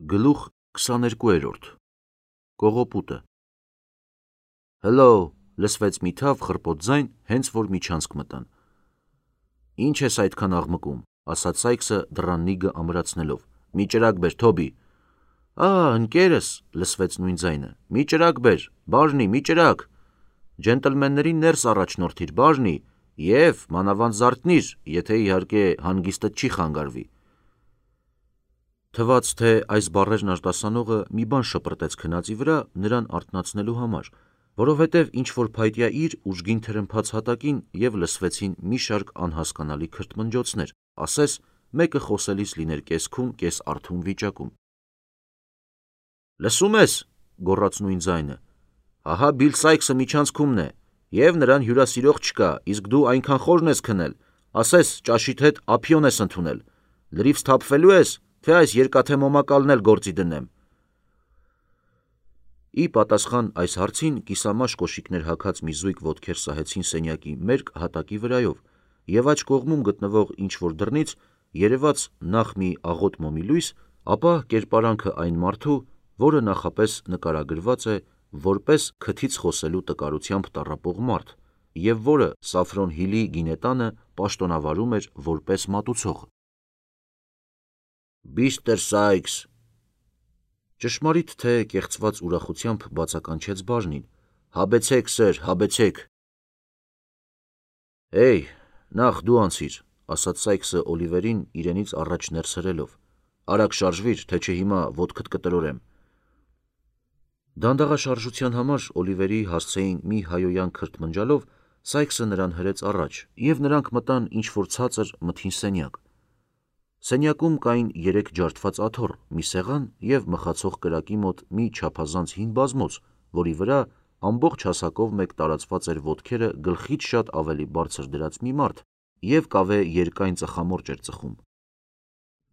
Գլուխ 22-րդ Կողոպուտը Հլո, լսվեց մի թավ խռպոտ ձայն, հենց որ միջանցք մտան։ Ինչ ես այդքան աղմկում, ասաց Սայքսը դռան նիգը ամրացնելով։ Մի ճրագ բեր, Թոբի։ Ընկերս, լսվեց նույն ձայնը։ Մի ճրագ բեր, բաժնի, մի ճրագ։ Ջենտլմեններին ներս առաջնորդիր, բաժնի, եւ մանավանդ զարթնիր, եթե իհարկե հանգիստը չի խանգարվի։ Թվաց, թե այս բառերն արտասանողը մի բան շպրտեց քնածի վրա նրան արթնացնելու համար, որովհետև ինչ-որ փայտյա իր ուժգին թրմփաց հատակին և լսվեցին մի շարք անհասկանալի քրթմնջոցներ, ասես մեկը խոսելիս լիներ կես-քուն, կես-արթուն վիճակում։ Լսում ես, գոռաց նույն ձայնը, ահա Բիլ Սայքսը միջանցքումն է, և նրան հյուրասիրող չկա, իսկ դու այնքան խորն ես քնել, ասես ճաշիդ հետ ափիոն ես ընդունել, լրիվ սթափվելու ես, թե այս երկաթե մոմակալն էլ գործի դնեմ։ Ի պատասխան այս հարցին կիսամաշ կոշիկներ հագած մի զույգ ոտքեր սահեցին սենյակի մերկ հատակի վրայով, և աջ կողմում գտնվող ինչ-որ դռնից երևաց նախ մի աղոտ մոմի լույս, ապա կերպարանքը այն մարդու, որը նախապես նկարագրված է որպես քթից խոսելու տկարությամբ տառապող մարդ, և որը Սաֆրոն Հիլի գինետանը պաշտոնավարում էր որպես մատուցող։ Միսթր Սայքս, ճշմարիտ թե կեղծված ուրախությամբ բացականչեց բաժնին, հաբեցեք, սըր, հաբեցեք։ Էй, նախ դու անցիր, ասաց Սայքսը Օլիվերին իրենից առաջ ներս հրելով, արագ շարժվիր, թե չէ հիմա ոտքդ կտրորեմ։ Դանդաղաշարժության համար Օլիվերի հասցեին մի հայոյան քրթմնջալով Սայքսը նրան հրեց առաջ, և նրանք մտան ինչ-որ ցածր մթին սենյակ։ Սենյակում կային 3 ջարդված աթոռ, մի սեղան և մխացող կրակի մոտ մի չափազանց հին բազմոց, որի վրա ամբողջ հասակով մեկ տարածված էր ոտքերը գլխից շատ ավելի բարձր դրած մի մարդ և կավե երկայն ծխամորճ էր ծխում։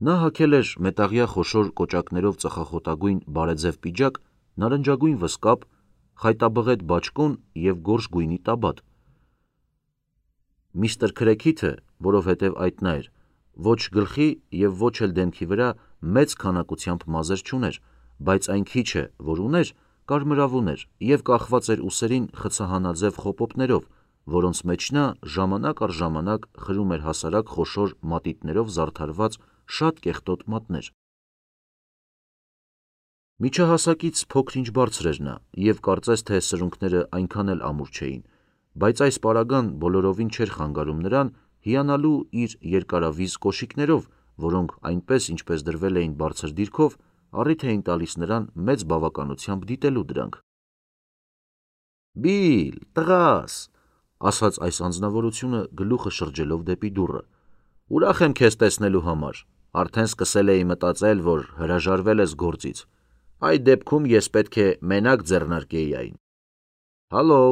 Նա հագել էր մետաղյա խոշոր կոճակներով ծխախոտագույն բարեձև պիջակ, նարնջագույն վզկապ, խայտաբղետ բաճկոն և գորշ գույնի տաբատ։ Միսթր Քրեքիթը, որովհետև այդ նա էր, ոչ գլխի և ոչ էլ դեմքի վրա մեծ քանակությամբ մազեր չուներ, բայց այն քիչը, որ ուներ, կարմրավուն էր և կախված էր ուսերին խցահանաձև խոպոպներով, որոնց մեջ նա ժամանակ առ ժամանակ խրում էր հասարակ խոշոր մատիտներով զարդարված շատ կեղտոտ մատներ։ Միջահասակից փոքր-ինչ բարձր էր նա, և կարծես թե սրունքները այնքան էլ ամուր չէին, բայց այս պարագան բոլորովին չէր խանգարում նրան հիանալու իր երկարավիզ կոշիկներով, որոնք այնպես ինչպես դրվել էին բարձր դիրքով, առիթ էին տալիս նրան մեծ բավականությամբ դիտելու դրանք։ Բիլ, տղաս, ասաց այս անձնավորությունը գլուխը շրջելով դեպի դուռը, ուրախ եմ քեզ տեսնելու համար, արդեն սկսել էի մտածել, որ հրաժարվել ես գործից, այդ դեպքում ես պետք է մենակ ձեռնարկեի այն։ Հալո,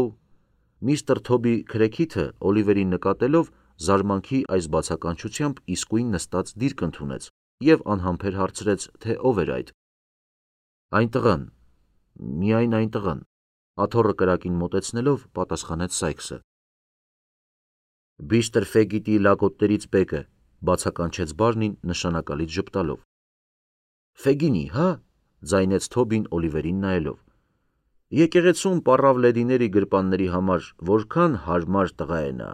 միսթր Թոբի Քրեքիթը Օլիվերին նկատելով զարմանքի այս բացականչությամբ իսկույն նստած դիրք ընդունեց և անհամբեր հարցրեց, թե ով էր այդ։ Այն տղան, միայն այն տղան, աթոռը կրակին մոտեցնելով պատասխանեց Սայքսը։ Միսթր Ֆեգիտի լակոտներից մեկը, բացականչեց բաժնին նշանակալից ժպտալով։ Ֆեգինի, հա, ձայնեց Թոբին Օլիվերին նայելով։ Եկեղեցում պառավ լեդիների գրպանների համար որքան հարմար տղա է նա։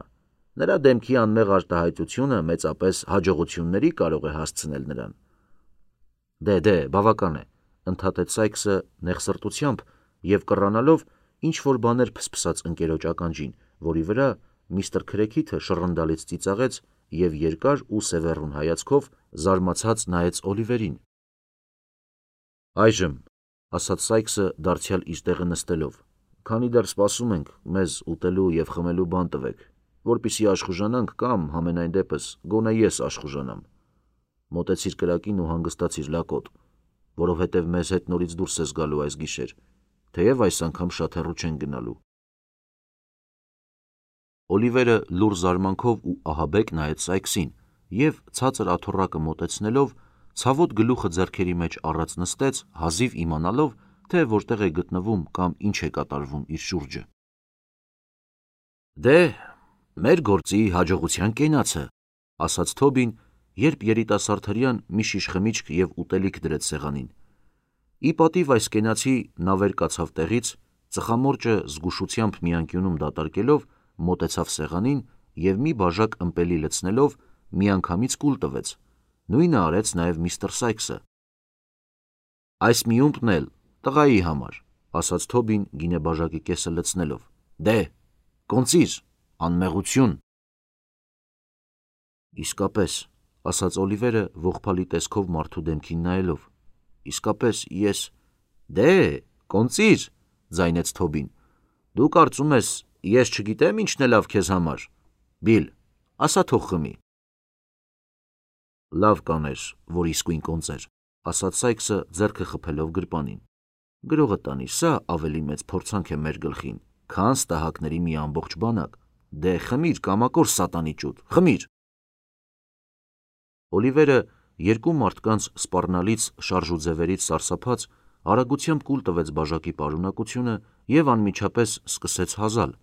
Նրա դեմքի անմեղ արտահայտությունը մեծապես հաջողությունների կարող է հասցնել նրան։ Դե, բավական է, ընդհատեց Սայքսը նեղսրտությամբ և կռանալով ինչ-որ բաներ փսփսաց ընկերոջ ականջին, որի վրա միսթր Քրեքիթը շռնդալից ծիծաղեց և երկար ու սևեռուն հայացքով զարմացած նայեց Օլիվերին։ Այժմ, ասաց Սայքսը դարձյալ իր տեղը նստելով, քանի դեռ սպասում ենք, մեզ ուտելու և խմելու բան տվեք, որպեսզի աշխուժանանք կամ, համենայն դեպս, գոնե ես աշխուժանամ։ Մոտեցիր կրակին ու հանգստացիր լակոտ, որովհետև մեզ հետ նորից դուրս ես գալու այս գիշեր, թեև այս անգամ շատ հեռու չենք գնալու։ Օլիվերը լուռ զարմանքով ու ահաբեկ նայեց Սայքսին և ցածր աթոռակը մոտեցնելով ցավոտ գլուխը ձեռքերի մեջ առած նստեց, հազիվ իմանալով, թե որտեղ է գտնվում կամ ինչ է կատարվում իր շուրջը։ Դե, մեր գործի հաջողության կենացը, ասաց Թոբին, երբ երիտասարդ հրեան մի շիշ խմիչք և ուտելիք դրեց սեղանին, Ի պատիվ այս կենացի նա վեր կացավ տեղից, ծխամորճը զգուշությամբ մի անկյունում դատարկելով մոտեցավ սեղանին և մի բաժակ ըմպելի լցնելով միանգամից կուլ տվեց, նույնը արեց նաև միստր Սայքսը։ «Այս մի ումպն էլ տղայի համար», ասաց Թոբին գինեբաժակի կեսը լցնելով։ «Դե, կոնծիր, անմեղություն»։ «Իսկապես», ասաց Օլիվերը ողբալի տեսքով մարդու դեմքին նայելով, «իսկապես ես...» «Դե, կոնծիր», ձայնեց Թոբին, «դու կարծում ես, ես չգիտեմ ինչն է լավ քեզ համար։ Բիլ, ասա թող խմի»։ «Լավ կաներ, որ իսկույն կոնծեր», ասաց Սայքսը ձեռքը խփելով գրպանին։ «Գրողը տանի, սա ավելի մեծ փորձանք է մեր գլխին, քան ստահակների մի ամբողջ բանակ։ Դե խմիր, կամակոր սատանի ճուտ, խմիր»։ Օլիվերը երկու մարդկանց սպառնալից շարժուձևերից սարսափած արագությամբ կուլ տվեց բաժակի պարունակությունը և անմիջապես սկսեց հազալ։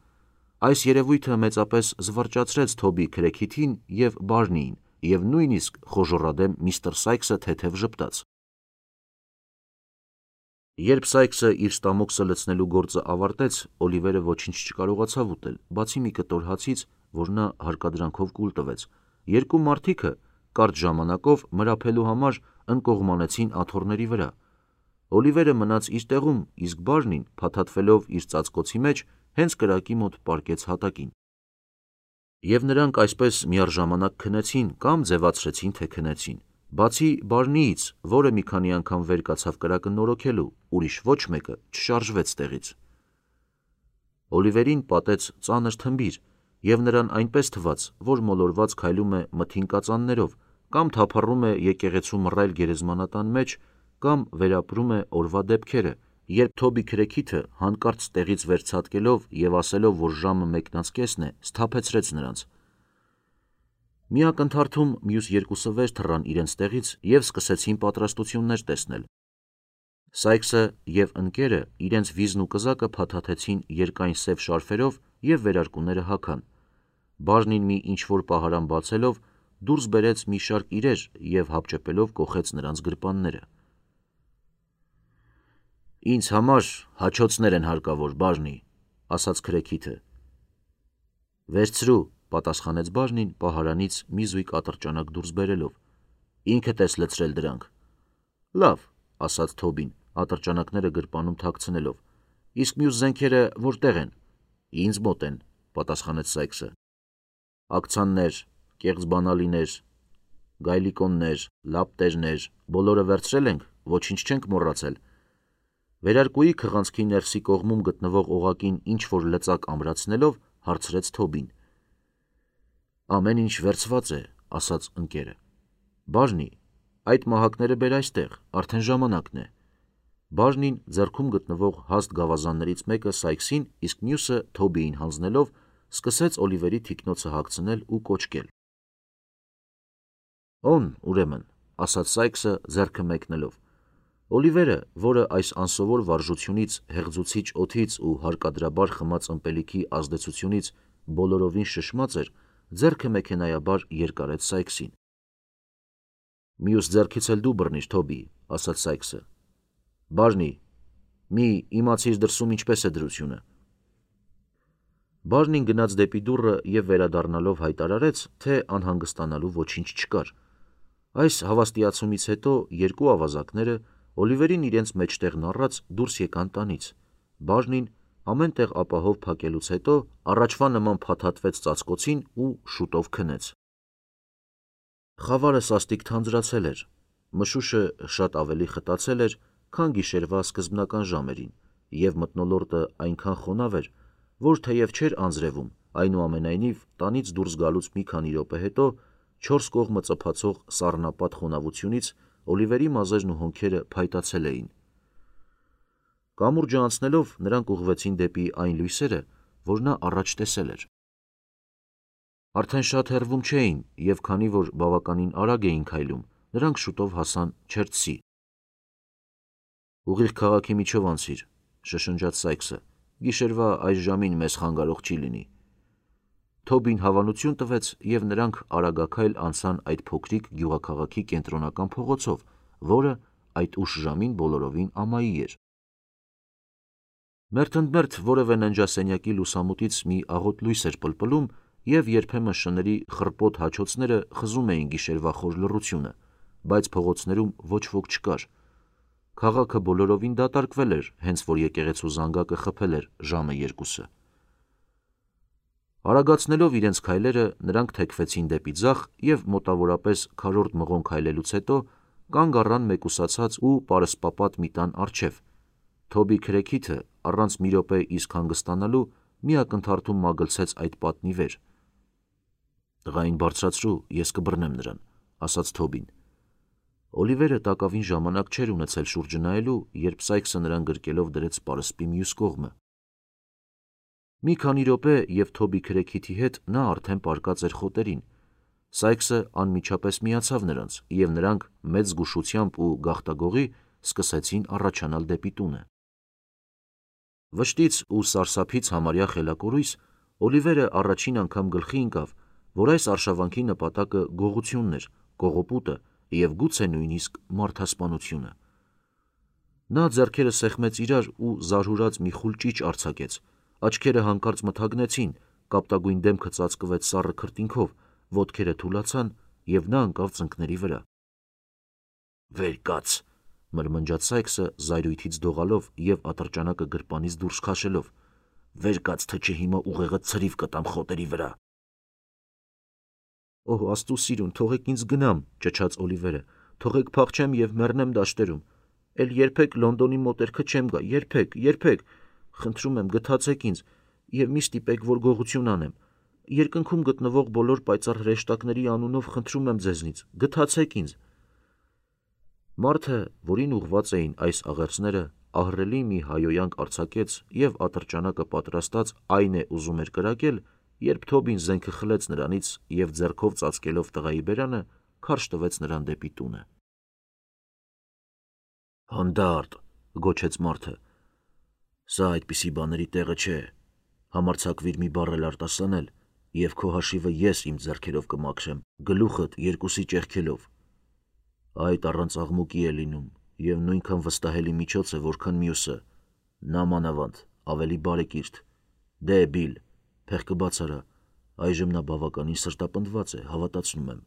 Այս երևույթը մեծապես զվարճացրեց Թոբի քրեքիթին և Բարնիին, և նույնիսկ խոժոռադեմ միստր Սայքսը թեթև ժպտաց։ Երբ Սայքսը իր ստամոքսը լցնելու գործը ավարտեց, Օլիվերը ոչինչ չկարողացավ ուտել, բացի մի կտոր հացից, որ նա հարկադրանքով կուլ տվեց։ Երկու մարդիկը կարճ ժամանակով մրափելու համար ընկողմանեցին աթոռների վրա։ Օլիվերը մնաց իր տեղում, իսկ Բարնին, փաթաթվելով իր ծածկոցի մեջ, հենց կրակի մոտ պառկեց հատակին։ Եվ նրանք այսպես միառժամանակ քնեցին կամ ձևացրեցին, թե քնեցին։ Բացի Բարնիից, որը մի քանի անգամ վեր կացավ կրակը նորոգելու, ուրիշ ոչ մեկը չշարժվեց տեղից։ Օլիվերին պատեց ծանր թմբիր, և նրան այնպես թվաց, որ մոլորված քայլում է մթին կածաններով, կամ թափառում է եկեղեցու մռայլ գերեզմանատան մեջ, կամ վերապրում է օրվա դեպքերը, երբ Թոբի քրեքիթը հանկարծ տեղից վերցատկելով և ասելով, որ ժամը 1:10 է, սթափեցրեց նրանց։ Մի ակնթարթում մյուս երկուսը վեր թռան իրենց տեղից և սկսեցին պատրաստություններ տեսնել։ Սայքսը և ընկերը իրենց վիզն ու կզակը փաթաթեցին երկայն սև շարֆերով և վերարկուները հագան։ Բարնին մի ինչ-որ պահարան բացելով դուրս բերեց մի շարք իրեր և հապճեպելով կոխեց նրանց գրպանները։ «Ինձ համար հաչոցներ են հարկավոր, Բարնի», ասաց քրեքիթը։ «Վերցրու», պատասխանեց Բարնին պահարանից մի զույգ ատրճանակ դուրս բերելով։ «Ինքդ ես լցրել դրանք»։ «Լավ», ասաց Թոբին, ատրճանակները գրպանում թաքցնելով, «իսկ մյուս զենքերը որտե՞ղ են»։ «Ինձ մոտ են», պատասխանեց Սայքսը։ «Ակցաններ, կեղծ բանալիներ, գայլիկոններ, լապտերներ, բոլորը վերցրել ենք, ոչինչ չենք մոռացել»։ Վերարկուի քղանցքի ներսի կողմում գտնվող օղակին ինչ-որ լծակ ամրացնելով հարցրեց Թոբին։ «Ամեն ինչ վերցված է», ասաց ընկերը։ «Բարնի, այդ մահակները բեր այստեղ, արդեն ժամանակն է»։ Բարնին ձեռքում գտնվող հաստ գավազաններից մեկը Սայքսին, իսկ մյուսը Թոբիին հանձնելով, սկսեց Օլիվերի թիկնոցը հագցնել ու կոչկել։ «Օն, ուրեմն», ասաց Սայքսը ձեռքը մեկնելով։ Օլիվերը, որը այս անսովոր վարժությունից, հեղձուցիչ օդից ու հարկադրաբար խմած ըմպելիքի ազդեցությունից բոլորովին շշմած էր, ձեռքը մեքենայաբար երկարեց Սայքսին։ «Մյուս ձեռքից էլ դու բռնիր, Թոբի», ասաց Սայքսը։ «Բարնի, մի իմացիր դրսում ինչպես է դրությունը»։ Բարնին գնաց դեպի դուռը և վերադառնալով հայտարարեց, թե անհանգստանալու ոչինչ չկար։ Այս հավաստիացումից հետո երկու ավազակները, Օլիվերին իրենց մեջտեղն առած, դուրս եկան տանից։ Բարնին ամեն տեղ ապահով փակելուց հետո առաջվա նման փաթաթվեց ծածկոցին ու շուտով քնեց։ Խավարը սաստիկ թանձրացել էր, մշուշը շատ ավելի խտացել էր, քան գիշերվա սկզբնական ժամերին, և մթնոլորտը այնքան խոնավ էր, որ թեև չէր անձրևում, այնուամենայնիվ տանից դուրս գալուց մի քանի րոպե հետո չորս կողմը ծփացող սառնապատ խոնավությունից Օլիվերի մազերն ու հոնքերը փայտացել էին։ Կամուրջը անցնելով նրանք ուղղվեցին դեպի այն լույսերը, որ նա առաջ տեսել էր։ Արդեն շատ հեռվում չէին, և քանի որ բավականին արագ էին քայլում, նրանք շուտով հասան Չերթսի։ «Ուղիղ քաղաքի միջով անցիր», շշնջաց Սայքսը, «գիշերվա այս ժամին մեզ խանգարող չի լինի»։ Թոբին հավանություն տվեց, և նրանք արագաքայլ անցան այդ փոքրիկ գյուղաքաղաքի կենտրոնական փողոցով, որը այդ ուշ ժամին բոլորովին ամայի էր։ Մերթընդմերթ որևէ ննջասենյակի լուսամուտից մի աղոտ լույս էր պլպլում, և երբեմն շների խռպոտ հաչոցները խզում էին գիշերվա խոր լռությունը, բայց փողոցներում ոչ ոք չկար։ Քաղաքը բոլորովին դատարկվել էր, հենց որ եկեղեցու զանգակը խփել էր ժամը 2-ը։ Արագացնելով իրենց քայլերը, նրանք թեքվեցին դեպի ձախ և մոտավորապես քառորդ մղոն քայլելուց հետո կանգ առան մեկուսացած ու պարսպապատ մի տան առջև։ Թոբի քրեքիթը առանց մի րոպե իսկ հանգստանալու մի ակնթարթում մագլցեց այդ պատնի վեր։ «Տղային բարձրացրու, ես կբռնեմ նրան», ասաց Թոբին։ Օլիվերը տակավին ժամանակ չէր ունեցել շուրջը նայելու, երբ Սայքսը նրան գրկելով դրեց պարսպի մյուս կողմը։ Մի քանի րոպե և Թոբի քրեքիթի հետ նա արդեն պառկած էր խոտերին։ Սայքսը անմիջապես միացավ նրանց, և նրանք մեծ զգուշությամբ ու գաղտագողի սկսեցին առաջանալ դեպի տունը։ Վշտից ու սարսափից համարյա խելակորույս Օլիվերը առաջին անգամ գլխի ընկավ, որ այս արշավանքի նպատակը գողությունն էր, կողոպուտը և գուցե նույնիսկ մարդասպանությունը։ Նա ձեռքերը սեղմեց իրար ու զարհուրած մի խուլ ճիչ արձակեց, աչքերը հանկարծ մթագնեցին, կապտագույն դեմքը ծածկվեց սառը քրտինքով, ոտքերը թուլացան, և նա ընկավ ծնկների վրա։ «Վեր կաց», մրմնջաց Սայքսը զայրույթից դողալով և ատրճանակը գրպանից դուրս քաշելով։ «Վեր կաց, թե չէ հիմա ուղեղդ ցրիվ կտամ խոտերի վրա»։ «Օհ, Աստծու սիրուն, թողեք ինձ գնամ», ճչաց Օլիվերը, «թողեք փախչեմ և մեռնեմ դաշտերում։ Էլ երբեք Լոնդոնի մոտերքը չեմ գա, երբեք։ Խնդրում եմ, գթացեք ինձ և մի ստիպեք, որ գողություն անեմ։ Երկնքում գտնվող բոլոր պայծառ հրեշտակների անունով խնդրում եմ ձեզնից, գթացեք ինձ»։ Մարդը, որին ուղղված էին այս աղերսները, ահռելի մի հայոյանք արձակեց և ատրճանակը պատրաստած այն է ուզում էր կրակել, երբ Թոբին զենքը խլեց նրանից և ձեռքով ծածկելով տղայի բերանը, քարշ տվեց նրան դեպի տունը։ «Հանդա՛րտ», գոչեց մարդը, «սա այդպիսի բաների տեղը չէ։ Համարձակվիր մի բառ էլ արտասանել, և քո հաշիվը ես իմ ձեռքերով կմաքրեմ, գլուխդ երկուսի ճեղքելով։ Այդ առանց աղմուկի է լինում և նույնքան վստահելի միջոց է, որքան մյուսը։ Նա մանավանդ ավելի բարեկիրթ։ Դե, Բիլ, փեղկը բաց արա, այժմ նա բավականին սրտապնդված է, հավատացնում եմ։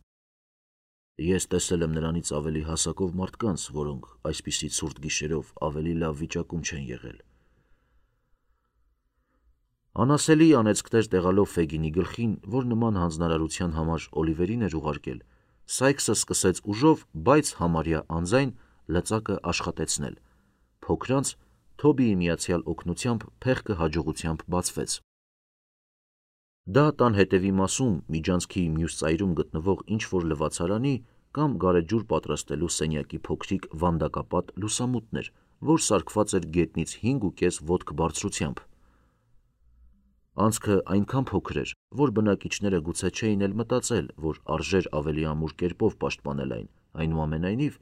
Ես տեսել եմ նրանից ավելի հասակով մարդկանց, որոնք այսպիսի ցուրտ գիշերով ավելի լավ վիճակում չեն եղել»։ Անասելի անեծքներ տեղալով Ֆեգինի գլխին, որ նման հանձնարարության համար Օլիվերին էր ուղարկել, Սայքսը սկսեց ուժով, բայց համարյա անձայն լծակը աշխատեցնել։ Փոքրանց Թոբիի միացյալ օգնությամբ փեղկը հաջողությամբ բացվեց։ Դա տան հետևի մասում միջանցքի մյուս ծայրում գտնվող ինչ-որ լվացարանի կամ գարեջուր պատրաստելու սենյակի փոքրիկ վանդակապատ լուսամուտն էր, որ սարքված էր գետնից 5,5 ոտք բարձրությամբ։ Անցքը այնքան փոքր էր, որ բնակիչները գուցե չէին էլ մտածել, որ արժեր ավելի ամուր կերպով պաշտպանել այն, այնուամենայնիվ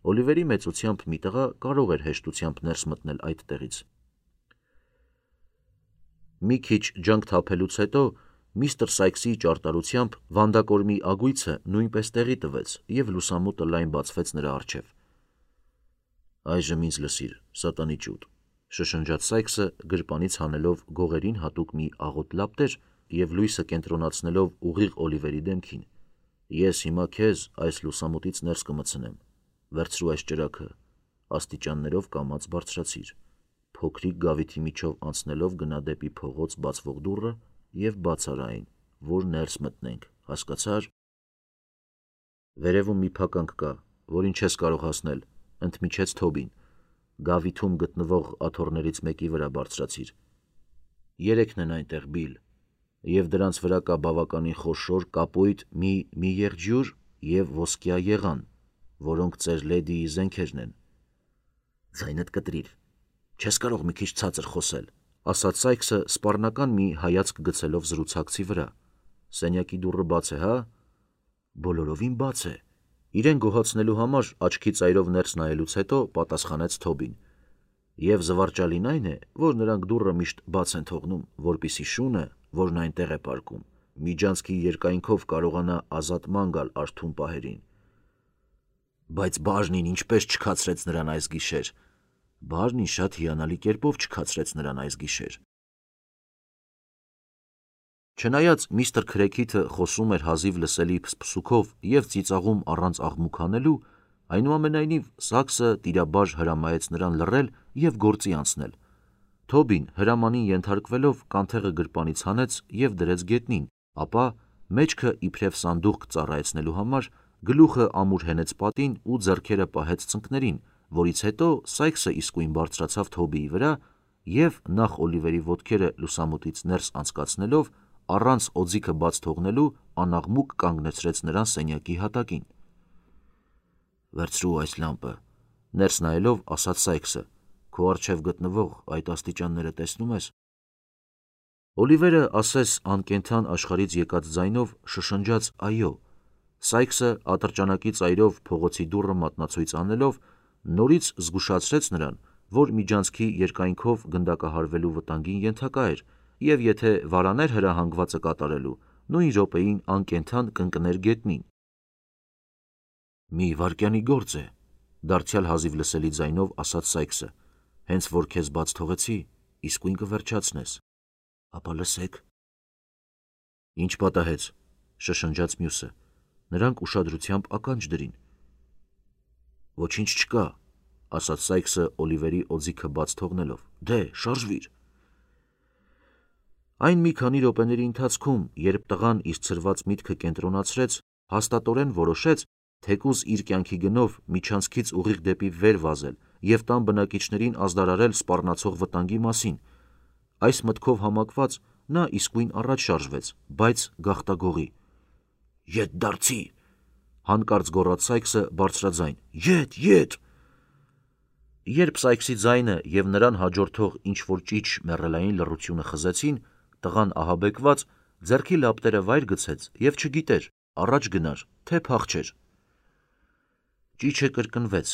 Օլիվերի մեծությամբ մի տղա կարող էր հեշտությամբ ներս մտնել այդտեղից։ Մի քիչ ջանք թափելուց հետո միստր Սայքսի ճարտարությամբ վանդակորմի ագույցը նույնպես տեղի տվեց, և լուսամուտը լայն բացվեց նրա առջև։ «Այժմ ինձ լսիր, սատանի ճուտ», շշնջաց Սայքսը, գրպանից հանելով գողերին հատուկ մի աղոտ լապտեր և լույսը կենտրոնացնելով ուղիղ Օլիվերի դեմքին։ «Ես հիմա քեզ այս լուսամուտից ներս կմտցնեմ։ Վերցրու այս ճրագը, աստիճաններով կամաց բարձրացիր։ Փոքրիկ գավիթի միջով անցնելով գնա դեպի փողոց բացվող դուռը և բաց արա այն, որ ներս մտնենք, հասկացա՞ր»։ «Վերևում մի փականք կա, որին չես կարող հասնել», ընդմիջեց Թոբին։ «Գավիթում գտնվող աթոռներից մեկի վրա բարձրացիր։ 3-ն են այնտեղ, Բիլ, և դրանց վրա կա բավականին խոշոր կապույտ մի եղջյուր և ոսկյա եղան, որոնք ծեր լեդիի զենքերն են»։ «Ձայնդ կտրիր, չես կարող մի քիչ ցածր խոսել», ասաց Սայքսը սպառնական մի հայացք գցելով զրուցակցի վրա։ «Սենյակի դուռը բաց է, հա»։ «Բոլորովին բաց է», իրեն գոհացնելու համար աչքի ծայրով ներս նայելուց հետո պատասխանեց Թոբին։ «Եվ զվարճալին այն է, որ նրանք դուռը միշտ բաց են թողնում, որպեսզի շունը, որն այնտեղ է պառկում, միջանցքի երկայնքով կարողանա ազատման գալ արթուն պահերին»։ Բայց բաժնին ինչպես չքացրեց նրան այս գիշեր։ Բաժնին շատ հիանալի կերպով չքացրեց նրան այս գիշեր։ Չնայած միստր Քրեքիթը խոսում էր հազիվ լսելի փսփսուքով և ծիծաղում առանց աղմուկ հանելու, այնուամենայնիվ Սաքսը տիրաբաժ հրամայեց նրան լռել և գործի անցնել։ Թոբին հրամանին ենթարկվելով կանթեղը գրպանից հանեց և դրեց գետնին, ապա մեջքը իբրև սանդուղք ծառայեցնելու համար գլուխը ամուր հենեց պատին ու ձեռքերը պահեց ծնկներին, որից հետո Սայքսը իսկույն բարձրացավ Թոբիի վրա և նախ Օլիվերի ոտքերը լուսամուտից ներս անցկացնելով, առանց օձիքը բաց թողնելու անաղմուկ կանգնեցրեց նրան սենյակի հատակին։ «Վերցրու այս լամպը», ներս նայելով ասաց Սայքսը, «քո առջև գտնվող այդ աստիճանները տեսնում ես»։ Օլիվերը ասես անկենդան աշխարհից եկած ձայնով շշնջաց «այո»։ Սայքսը ատրճանակի ծայրով փողոցի դուռը մատնացույց անելով նորից զգուշացրեց նրան, որ միջանցքի երկայնքով գնդակահարվելու վտանգին ենթակա էր և եթե վարաներ հրահանգվածը կատարելու, նույն րոպեին անկենդան կընկներ գետնին։ «Մի վայրկյանի գործ է», դարձյալ հազիվ լսելի ձայնով ասաց Սայքսը, «հենց որ քեզ բաց թողեցի, իսկույն կվերջացնես»։ «Ապա լսեք»։ «Ինչ պատահեց», շշնջաց մյուսը, նրանք ուշադրությամբ ականջ դրին։ «Ոչինչ չկա», ասաց Սայքսը Օլիվերի օձիքը բաց թողնելով, «դե, շարժվիր»։ Այն մի քանի րոպեների ընթացքում, երբ տղան իր ցրված միտքը կենտրոնացրեց, հաստատորեն որոշեց, թեկուզ իր կյանքի գնով միջանցքից ուղիղ դեպի վեր վազել և տան բնակիչներին ազդարարել սպառնացող վտանգի մասին։ Այս մտքով համակված նա իսկույն առաջ շարժվեց, բայց գաղտագողի։ «Ետ դարձի», հանկարծ գոռաց Սայքսը բարձրաձայն, «Ետ»։ Երբ Սայքսի ձայնը և նրան հաջորդող ինչ-որ ճիչ մեռելային լռությունը խզեցին, տղան ահաբեկված ձեռքի լապտերը վայր գցեց և չգիտեր առաջ գնար, թե փախչեր։ Ճիչը կրկնվեց,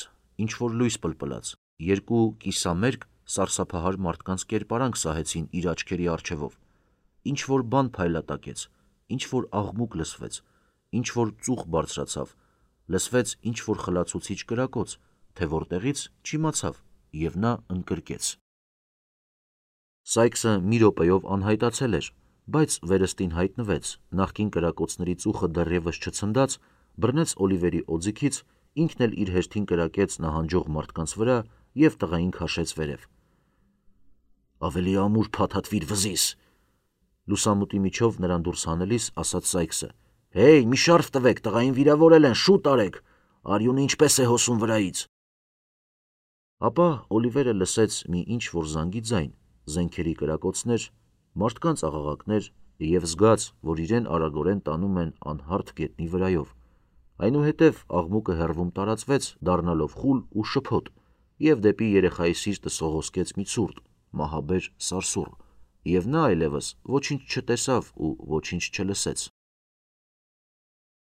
ինչ-որ լույս պլպլաց, երկու կիսամերկ, սարսափահար մարդկանց կերպարանք սահեցին իր աչքերի առջևով, ինչ-որ բան փայլատակեց, ինչ-որ աղմուկ լսվեց, ինչ-որ ծուխ բարձրացավ, լսվեց ինչ-որ խլացուցիչ կրակոց, թե որտեղից չիմացավ, և նա ընկրկեց։ Սայքսը մի րոպեով անհայտացել էր, բայց վերստին հայտնվեց, նախկին կրակոցների ծուխը դեռևս չցնդած, բռնեց Օլիվերի օձիքից, ինքն էլ իր հերթին կրակեց նահանջող մարդկանց վրա և տղային քաշեց վերև։ «Ավելի ամուր փաթաթվիր վզիս», լուսամուտի միջով նրան դուրս հանելիս ասաց Սայքսը։ «Հեյ, մի շարֆ տվեք, տղային վիրավորել են, շուտ արեք, արյունը ինչպես է հոսում վրայից»։ Ապա Օլիվերը լսեց մի ինչ-որ զանգի ձայն, զենքերի կրակոցներ, մարդկանց աղաղակներ և զգաց, որ իրեն արագորեն տանում են անհարթ գետնի վրայով։ Այնուհետև աղմուկը հեռվում տարածվեց, դառնալով խուլ ու շփոթ, և դեպի երեխայի սիրտը սողոսկեց մի ցուրտ, մահաբեր սարսուռ, և նա այլևս ոչինչ չտեսավ ու ոչինչ չլսեց։